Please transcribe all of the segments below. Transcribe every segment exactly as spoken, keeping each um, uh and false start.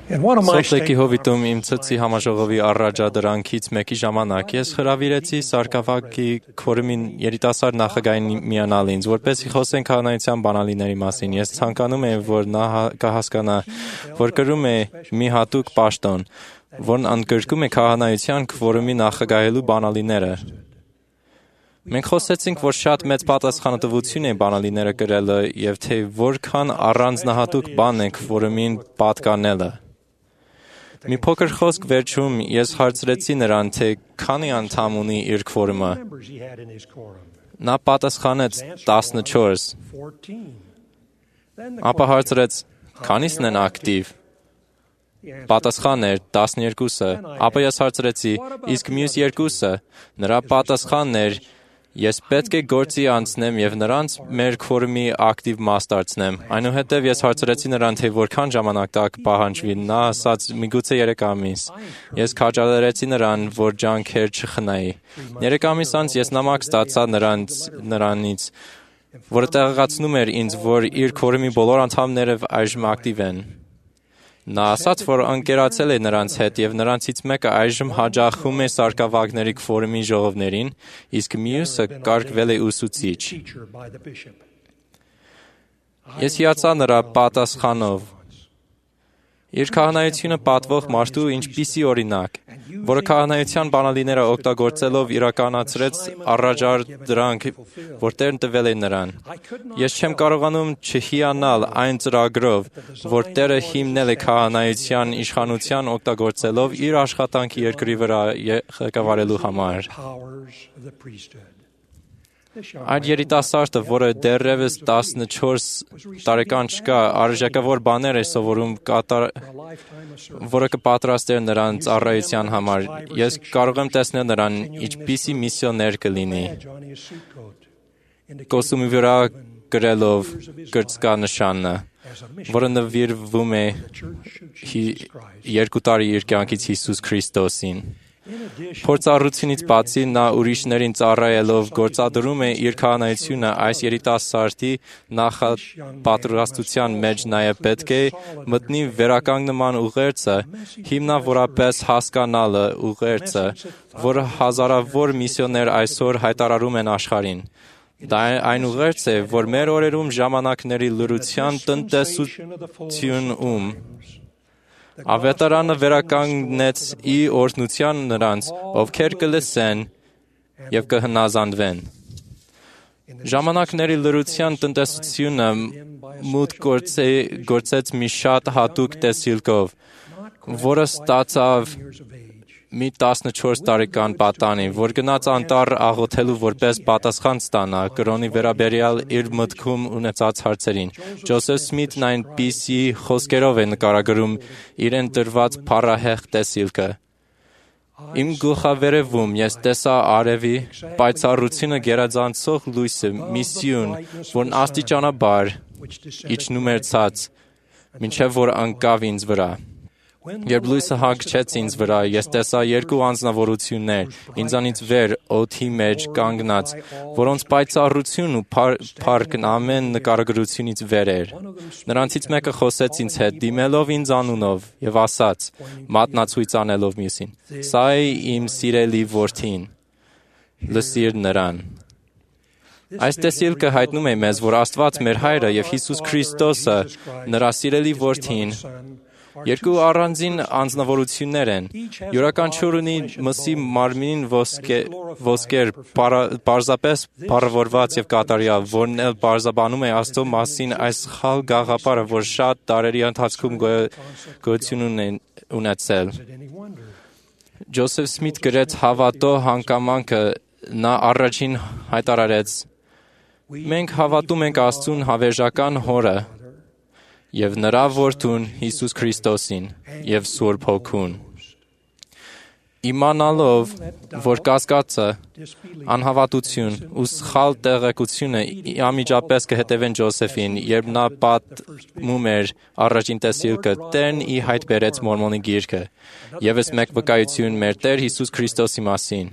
Սոթլեկի հովիտում իմ ցցի համաժողովի առաջադրանքից մեկի ժամանակ ես հրավիրեցի Սարգսակի քվորումի երիտասարդ նախագահին միանալ ինձ, որպեսզի խոսենք քահանայության բանալիների մասին։ Ես ցանկանում եմ, որ նա կհասկանա, որ կրում է մի հատուկ պաշտոն, որն ընդգրկում է քահանայության քվորումի նախագահելու բանալիները։ Մենք խոսեցինք, որ շատ մեծ պատասխանատվություն է բանալիները կրելը եւ թե որքան առանձնահատուկ բան է քվորումին պատկանելը։ Մի փոքր խոսք վերջում ես հարցրեցի նրան, թե քանի անդամ ունի իր քվորումը։ Նա պատասխանեց տասնչորս։ Ապա հարցրեց. քանիսն են ակտիվ։ Պատասխանն էր տասներկուսը։ Ապա ես հարցրեցի. իսկ մյուս երկուսը։ Նրա պատասխանն էր. ես պետք է գործի անցնեմ եւ նրանց մեր քվորումի ակտիվ մաս դարձնեմ։ Այնուհետև ես հարցրեցի նրան, թե որքան ժամանակ տակ պահանջվի։ Նա ասաց միգուցե երեք ամիս։ Ես քաջալերեցի նրան, որ ջանքեր չխնայի։ Երեք ամիս անց ես նամակ ստացա նրանց նրանից, որը տեղեկացնում էր ինձ, որ իր քվորումի բոլոր անդամները այժմ ակտիվ են։ Նա ասաց, որ ընկերացել է նրանց հետ եւ նրանցից մեկը այժմ հաջախում է սարկավագների քվորումի ժողովներին, իսկ մյուսը կարգվել է ուսուցիչ։ Ես հիացա նրա պատասխանով։ Իր քահանայությունը պատվող մարդու ինչպիսի օրինակ, որը քահանայության բանալիները օգտագործելով իրականացրեց առաջադրանք, որ Տերն տվել է նրան։ Ես չեմ կարողանում չհիանալ այն ծրագրով, որ Տերը հիմնել է քահանայության իշխանության օգտագործելով իր աշխատանքի երկրի վրա ղեկավարելու համար։ Այդ երիտասարդը, որը դեռևս տասնչորս տարեկան չկա, արժեքավոր բաներ է սովորում, կատար... որը կպատրաստեր նրան ծառայության համար։ Ես կարող եմ տեսնել նրան ինչպիսի միսիոներ կլինի։ Կոստյումի վրա գրելով կրծքանշանը, որը նվիրվում է երկու տարի իր կյանքից Հիսուս Քրիստոսին։ Փորձառությունից բացի նա ուրիշներին ծառայելով գործադրում է իր քահանայությունը այս երիտասարդի նախապատրաստության մեջ նաև պետք է մտնի վերականգնման ուղերձը, հիմնավորապես հասկանալը ուղերձը, որը հազարավոր միսիոներ այսօր հայտարարում են աշխարհին։ Դա այն ուղերձ է, որ մեր օրերում ժամանակների լրության տնտեսությունում Ավետարանը վերականգնեց ի օրհնության նրանց, ովքեր կլսեն եւ կհնազանդվեն։ Ժամանակների լրության տնտեսությունը մուտք գործեց մի շատ հատուկ տեսիլքով, որը ստացավ մի տասնչորս տարեկան պատանի, որ գնաց անտառ աղոթելու որպես պատասխան ստանա կրոնի վերաբերյալ իր մտքում ունեցած հարցերին։ Ջոսեֆ Սմիթն այնպիսի խոսքերով է նկարագրում իրեն տրված փառահեղ տեսիլքը. Իմ գլխավերևում ես տեսա արևի պայծառությունը գերազանցող լույսը, մի սյուն, որն աստիճանաբար իջնում էր ցած, մինչև որ ընկավ ինձ վրա։ Երբ լույսը հանգչեց ինձ վրա, ես տեսա երկու անձնավորություններ, ինձանից վեր, օդի մեջ կանգնած, որոնց պայծառությունն ու փառքն ամեն նկարագրությունից վեր էր։ Նրանցից մեկը խոսեց ինձ հետ, դիմելով ինձ անունով, եւ ասաց, մատնացույց անելով մյուսին. «Սա է իմ սիրելի որդին, լսիր նրան»։ Այս տեսիլքը հայտնում է մեզ, որ Աստված մեր Հայրը եւ Հիսուս Քրիստոսը, նրա սիրելի որդին, երկու առանձին անձնավորություններ են։ Յուրաքանչյուր ունի մսի մարմին ոսկեր, պարզապես փառավորված եւ կատարյալ, որն էլ պարզաբանում է Աստծո մասին այս սխալ գաղափարը, որ շատ տարերի ընթացքում գոյություն ունեցել։ Ջոսեֆ Սմիթ գրեց հավատո հանգամանքը, նա առաջին հայտարարեց. «Մենք հավատում ենք Աստծուն հավերժական Հորը եւ նրա որդուն Հիսուս Քրիստոսին եւ Սուրբ Հոգուն»։ Իմանալով, որ կասկածը, անհավատություն ու սխալ տեղեկությունը անմիջապես կհետևեն Ջոսեֆին, երբ նա պատմում էր առաջին տեսիլքը, Տերն ի հայտ բերեց Մորմոնի գիրքը, եւս մեկ վկայություն մեր Տեր Հիսուս Քրիստոսի մասին։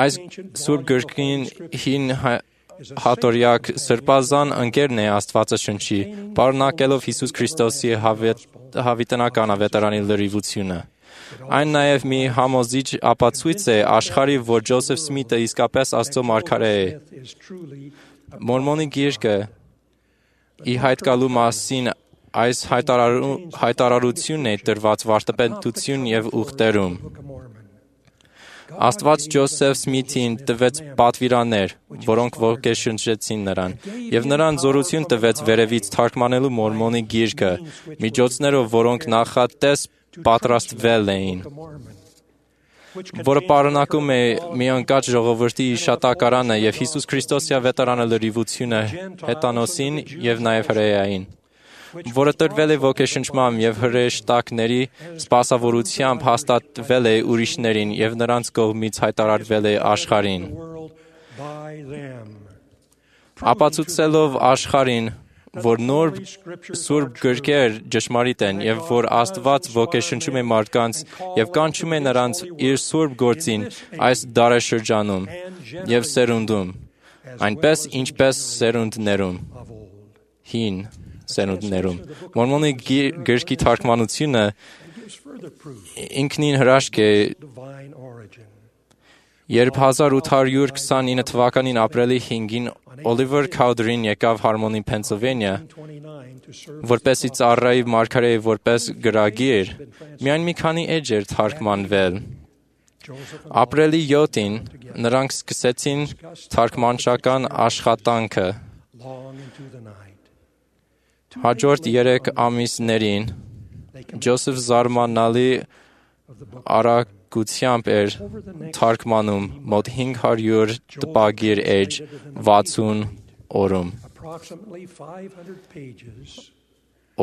Այս Սուրբ գրքին հին հատորյակ սրբազան ընկերն է Աստվածաշնչի, պարունակելով Հիսուս Քրիստոսի հավիտենական ավետարանի լրիվությունը։ Այն նաև մի համոզիչ ապացույց է աշխարհի, որ Ջոսեֆ Սմիթը իսկապես Աստծո մարգարե է։ Մորմոնի գիրքը ի հայտ գալու մասին այս հայտարարությունն է տրված վարդապետություն և ուխտերում։ Աստված Ջոսեֆ Սմիթին տվեց պատվիրաններ, որոնք ոգեշնչեցին նրան, և նրան զորություն տվեց վերևից թարգմանելու Մորմոնի գիրքը, միջոցներով, որոնք նախատես պատրաստվել էին, որը պարունակում է մի ընկած ժողովրդի հիշատակարանը և Հիսուս Քրիստոսի ավետարանը լրիվությունը հեթանոսին և նաև հրեային, որը տրվել է ոգեշնչմամբ և հրեշտակների սպասավորությամբ հաստատվել է ուրիշներին և նրանց կողմից հայտարարվել է աշխարհին։ Ապացուցելով աշխարհին, որ նոր սուրբ գրքեր ճշմարիտ են և որ Աստված ոգեշնչում է մարդկանց և կանչում է նրանց իր սուրբ գործին այս դարաշրջանում և սերունդում, այնպես ինչպես սերունդներում, հին սերունդներում։ Մորմոնի գրքի թարգմանությունը ինքնին հրաշք է, երբ հազար ութ հարյուր քսանինը թվականին ապրիլի հինգին Օլիվեր Քաուդերին եկավ Հարմոնի, Փենսիլվանիա, որպեսզի ծառայի մարգարեի որպես գրագիր, միայն մի քանի էջ էր թարգմանվել։ Ապրիլի յոթին նրանք սկսեցին թարգմանչական աշխատանքը։ Հաջորդ երեք ամիսներին Ջոսեֆ զարմանալի արագությամբ էր թարգմանում մոտ հինգ հարյուր տպագիր էջ վաթսուն օրում։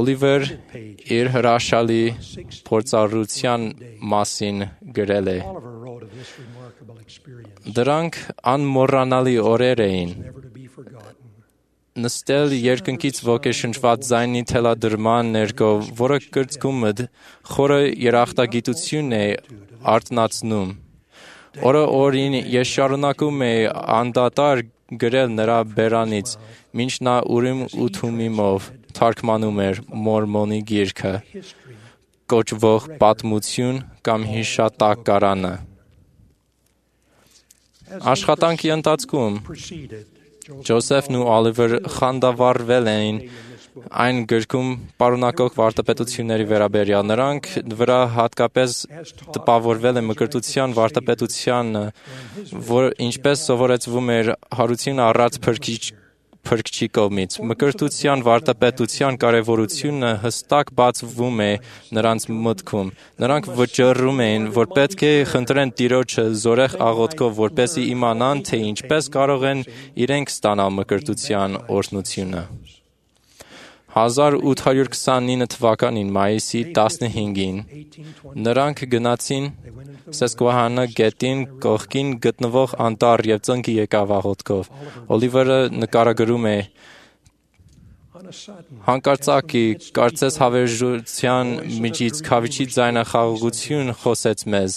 Օլիվեր իր հրաշալի փորձառության մասին գրել է. Դրանք անմոռանալի օրեր էին։ Նստել երկնքից ոգեշնչված ձայնի թելադրման ներքո, որը կրծքումդ խորը երախտագիտություն է արթնացնում։ Օրը օրին ես շարունակում էի անդադար գրել նրա բերանից, մինչ նա Ուրիմ ու Թումիմով թարգմանում էր Մորմոնի գիրքը, կոչվող պատմություն կամ հիշատակարանը։ Աշխատանքի ընթացքում Ջոսեֆն ու Օլիվերը խանդավառվել էին այն գրքում պարունակող վարդապետությունների վերաբերյալ։ Նրանք վրա հատկապես տպավորվել է մկրտության վարդապետությանը, որ ինչպես սովորեցվում էր հարություն առած փրկչի կողմից։ Մկրտության վարդապետության կարևորությունը հստակ բացվում է նրանց մտքում։ Նրանք վճռում էին, որ պետք է խնդրեն Տիրոջը զորեղ աղոթքով, որպեսզի իմանան, թե ինչպես կարող են իրենք ստանալ մկրտության օրհնությունը։ հազար ութ հարյուր քսանինը թվականին մայիսի տասնհինգին նրանք գնացին Սեսկուահանա գետին կողքին գտնվող անտառ և ծնկի եկավ աղոթքով։ Օլիվերը նկարագրում է. Հանկարծակի կարծես հավերժության միջից քավիչի ձայնախաղաղություն խոսեց մեզ,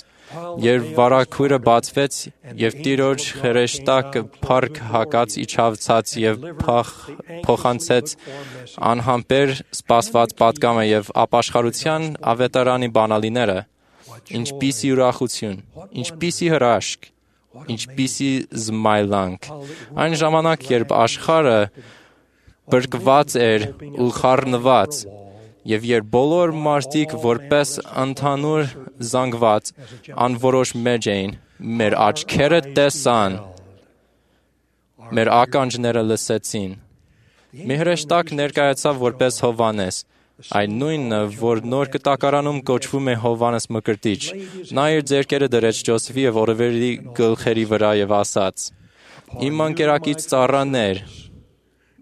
երբ վարագույրը բացվեց և Տիրոջ հրեշտակը փառք հակած իջավ ցած և փոխանցեց անհամբեր սպասված պատգամը և ապաշխարության ավետարանի բանալիները։ Ինչպիսի ուրախություն, ինչպիսի հրաշք, ինչպիսի զմայլանք։ Այն ժամանակ, երբ աշխարհը բրկված էր ու խառնված, և երբ բոլոր մարդիկ որպես ընդհանուր զանգված անորոշ մեջ էին, մեր աչքերը տեսան, մեր ականջները լսեցին։ Մի հրեշտակ ներկայացավ որպես Հովհաննես, այն նույնը, որ Նոր Կտակարանում կոչվում է Հովհաննես Մկրտիչ։ Նա իր ձեռքերը դրեց Ջոսեֆի և Օլիվերի գլխերի վրա և ասաց. Իմ ընկերակից ծառաներ,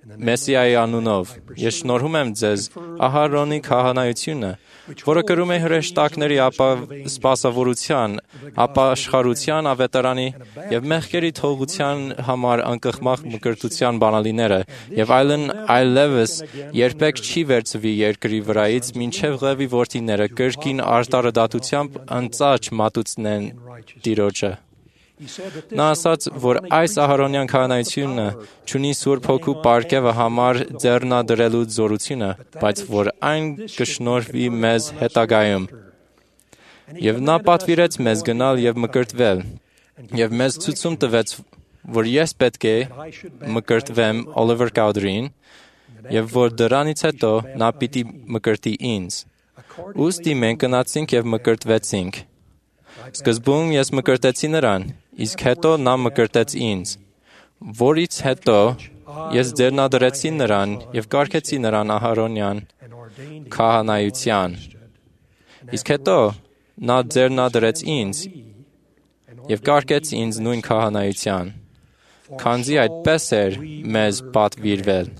Մեսիայի անունով, ես շնորհում եմ ձեզ Ահարոնի քահանայությունը, որը կրում է հրեշտակների սպասավորության, ապաշխարության ավետարանի և մեղքերի թողության համար անկխմախ մկրտության բանալիները, և այլն այլևս երբեք չի վերցվի երկրի վրայից, մինչև Ղևի որդիները կրկին արտարդատությամբ ընծաչ մատուցնեն Տիրոջը։ Նա ասաց, որ այս Ահարոնյան քահանայությունը չունի Սուրբ Հոգու պարգևը համար ձեռնադրելու զորությունը, բայց որ այն կշնորհվի մեզ հետագայում։ Եվ նա պատվիրեց մեզ գնալ եւ մկրտվել, եւ մեզ ցույցում տվեց, որ ես պետք է մկրտվեմ Օլիվեր Կաուդրին, եւ որ դրանից հետո նա պիտի մկրտի ինձ։ Ուստի մենք գնացինք եւ մկրտվեցինք։ Սկզբում ես մկրտեցի նրան, իսկ հետո նա մկրտեց ինձ, որից հետո ես ձեռնադրեցի նրան եւ կարգեցի նրան Ահարոնյան քահանայության։ Իսկ հետո նա ձեռնադրեց ինձ եւ կարգեց ինձ նույն քահանայության, քանզի այդպես էր մեզ պատվիրվել։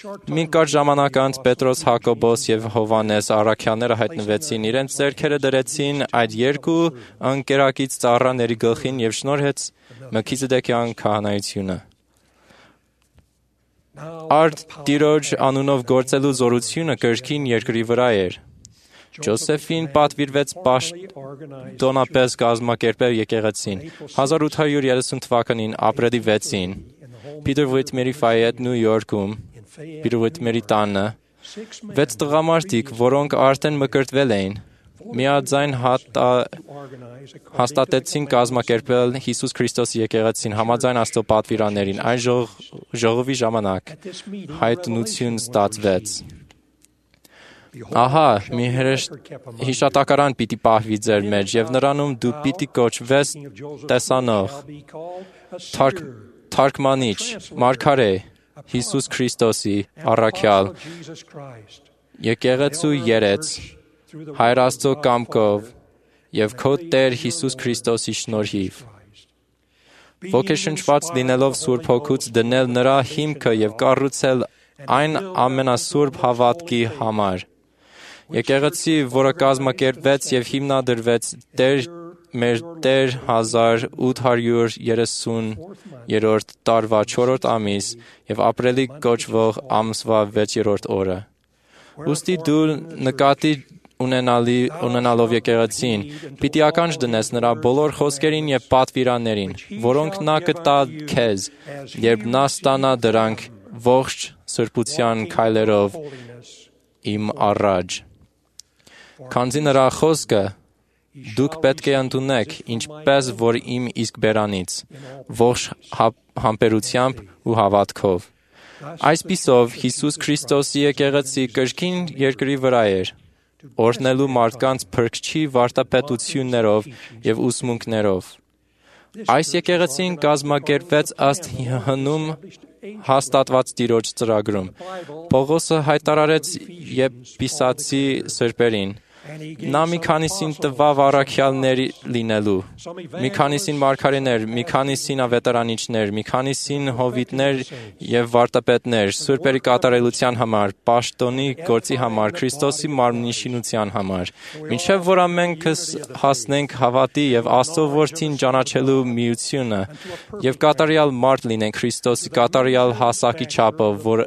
Մի կարճ ժամանակ անց Պետրոս, Հակոբոս եւ Հովհաննես առաքյալները հայտնվեցին, իրենց ձեռքերը դրեցին այդ երկու ընկերակից ծառաների գլխին եւ շնորհեց Մելքիզեդեկյան քահանայությունը։ Արդ Տիրոջ անունով գործելու զորությունը կրկին երկրի վրա էր։ Ջոսեֆին պատվիրվեց պաշտոնապես կազմակերպել եկեղեցին։ հազար ութ հարյուր երեսուն թվականին ապրիլի վեցին Peter Whitmer-ի Ֆայետ Նյու Յորքում Peter Whitmer-ի տանը վեց տղամարդիկ, որոնք արդեն մկրտվել էին, միաձայն հաստատեցին կազմակերպել Հիսուս Քրիստոսի եկեղեցին համաձայն Աստծո պատվիրաններին։ Այն ժողովի ժամանակ հայտնություն ստացվեց։ Ահա, մի հիշատակարան պիտի պահվի ձեր մեջ, եւ նրանում դու պիտի կոչվես տեսանող, թարգմանիչ, մարգարե, Հիսուս Քրիստոսի առաքյալ, եկեղեցու երեց, Հայր Աստծո կամքով եւ քո Տեր Հիսուս Քրիստոսի շնորհիվ։ Ոգեշնչված լինելով Սուրբ Հոգուց դնել նրա հիմքը եւ կառուցել այն ամենասուրբ հավատքի համար։ Եկեղեցի, որը կազմակերպվեց եւ հիմնադրվեց Տեր մեր Տեր հազար ութ հարյուր երեսուներորդ տարվա չորրորդ ամիս եւ ապրիլի կոչվող ամսվա վեցերորդ օրը։ Ուստի դու նկատի ունենալի ունենալով եկեղեցին, պիտի ականջ դնես նրա բոլոր խոսքերին եւ պատվիրաններին, որոնք նա կտա քեզ, երբ նա ստանա դրանք ողջ սրբության քայլերով իմ առաջ։ Քանզի նրա խոսքը դուք պետք է ընդունեք, ինչպես որ իմ իսկ բերանից, ողջ համբերությամբ ու հավատքով։ Այսպիսով Հիսուս Քրիստոսի եկեղեցի կրկին երկրի վրա էր, օրհնելու մարդկանց փրկչի վարտապետություններով եւ ուսմունքներով։ Այս եկեղեցին կազմակերպվեց ըստ հնում հաստատված Տիրոջ ծրագրում։ Պողոսը հայտարարեց Եփիսացի սրբերին։ Նա մի քանիսին տվավ առաքյալներ լինելու, մի քանիսին մարգարեներ, մի քանիսին ավետարանիչներ, մի քանիսին հովիտներ եւ վարտապետներ, սուրբերի կատարելության համար, պաշտոնի գործի համար, Քրիստոսի մարմնի շինության համար, մինչեւ որ ամենքս հասնենք հավատի եւ Աստծո Որդին ճանաչելու միությունը եւ կատարյալ մարդ լինենք Քրիստոսի կատարյալ հասակի չափով, որ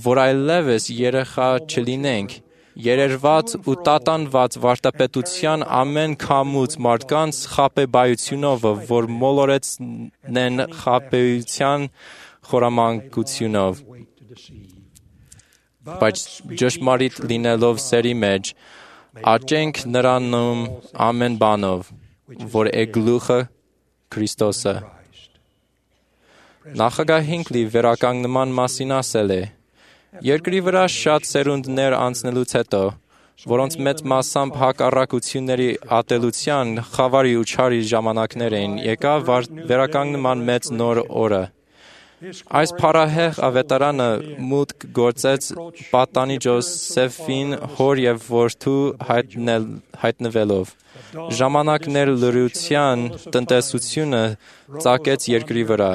որ այլևս երեխա չլինենք, երերված ու տատանված վարտապետության ամեն քամուց մարդկանց խաբեբայությունով, որ մոլորեցնեն խաբեության խորամանկությունով, բայց ճշմարիտ լինելով սերի մեջ, աճենք նրանում ամեն բանով, որ է գլուխը Քրիստոսը։ Նախագահին լի վերականգնման մասին ասել է. Երկրի վրա շատ սերունդներ անցնելուց հետո, որոնց մեծ մասամբ հակառակությունների ատելության, խավարի ու չարի ժամանակներ էին, եկավ վերականգնման մեծ նոր օրը։ Այս փառահեղ ավետարանը մուտք գործեց պատանի Ջոսեֆին հոր եւ որդու հայտնվելով։ Ժամանակներ լրության տնտեսությունը ծակեց երկրի վրա։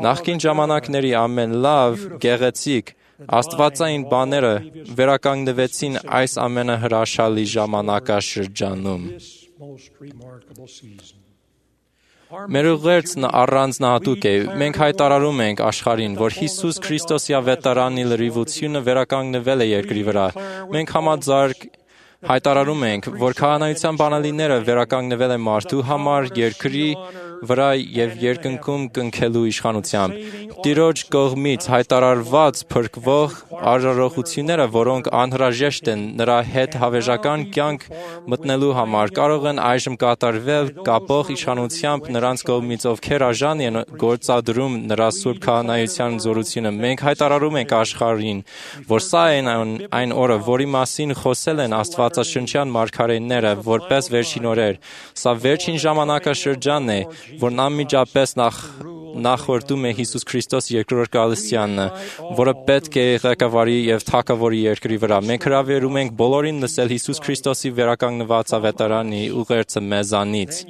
Նախկին ժամանակների ամեն լավ, գեղեցիկ, աստվածային բաները վերականգնվեցին այս ամենահրաշալի ժամանակաշրջանում։ Մեր ուղերձն առանձնահատուկ է։ Մենք հայտարարում ենք աշխարհին, որ Հիսուս Քրիստոսի ավետարանի լրիվությունը վերականգնվել է երկրի վրա։ Մենք համաձայնք Հայտարարում ենք, որ քահանայության բանալիները վերականգնվել են մարդու համար երկրի վրա եւ երկնքում կնքելու իշխանությամբ։ Տիրոջ կողմից հայտարարված փրկվող արարողությունները, որոնք անհրաժեշտ են նրա հետ հավերժական կյանք մտնելու համար, կարող են այժմ կատարվել կապող իշխանությամբ նրանց կողմից, ովքեր արժան են գործադրում նրա սուրբ քահանայության զորությունը։ Մենք հայտարարում ենք աշխարհին, որ սա է այն օրը, որի մասին խոսել են աստվածաշնչյան մարգարեները, որպես վերջին օրեր։ Սա վերջին ժամանակաշրջանն է, որն անմիջապես նախ նախորդում է Հիսուս Քրիստոսի երկրորդ գալստյանը, որը պետք է ղեկավարի եւ թագավորի երկրի վրա։ Մենք հրավիրում ենք բոլորին լսել Հիսուս Քրիստոսի վերականգնված ավետարանի ուղերձը մեզանից։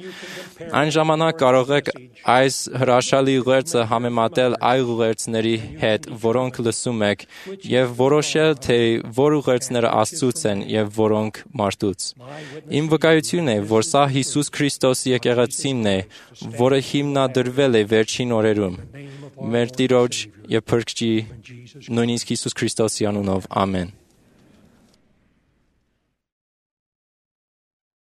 Այն ժամանակ կարող եք այս հրաշալի ուղերձը համեմատել այլ ուղերձների հետ, որոնք լսում եք, եւ որոշել, թե որ ուղերձները Աստծուց են եւ որոնք մարդուց։ Իմ վկայությունն է, որ սա Հիսուս Քրիստոսի եկեղեցին է, որը հիմնադրվել է վերջին օրերում։ Մեր Տիրոջ եւ Փրկչի նույնիսկ Հիսուս Քրիստոսի անունով։ Ամեն։